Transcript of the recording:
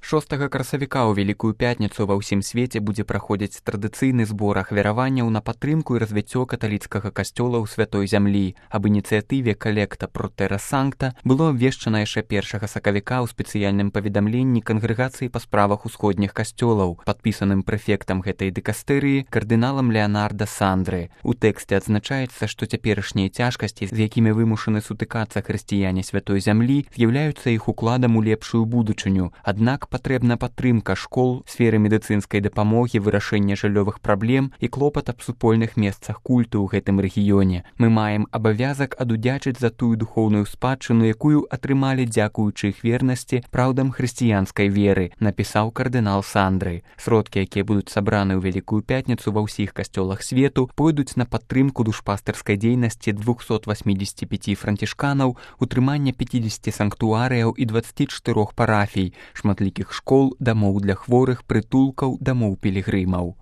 6 красавіка ў Вялікую пятніцу ва ўсім свеце будзе праходзіць традыцыйны збор ахвяраванняў на падтрымку і развіццё каталіцкага касцёла ў святой зямлі. Аб ініцыятыве «Калекта про Терра Санкта» было абвешчана яшчэ 1 сакавіка ў спецыяльным паведамленні кангрэгацыі па справах усходніх касцёлаў, падпісаным прэфектам гэтай дыкастэрыі кардыналам Леанарда Сандры. У тэксце адзначаецца, што цяперашнія цяжкасці, з якімі вымушаны сутыкацца хрысціяне святой зямлі, з'яўляюцца іх укладам у лепшую будучыню. Аднак патрэбна падтрымка школ, сферы медыцынскай дапамогі, вырашэння жыллёвых праблем і клопат аб супольных месцах культу ў гэтым рэгіёне. Мы маем абавязак адудзячыць за тую духоўную спадчыну, якую атрымалі дзякуючы іх вернасці праўдам хрысціянскай веры, напісаў кардынал Сандры. Сродкі, якія будуць сабраны ў Вялікую пятніцу ва ўсіх касцёлах свету, пойдуць на падтрымку душпастырскай дзейнасці 285 францішканаў, утрымання 50 санктуарыяў і 24 парафій, шматлікіх школ, дамоў для хворых, прытулкаў, дамоў пілігрымаў.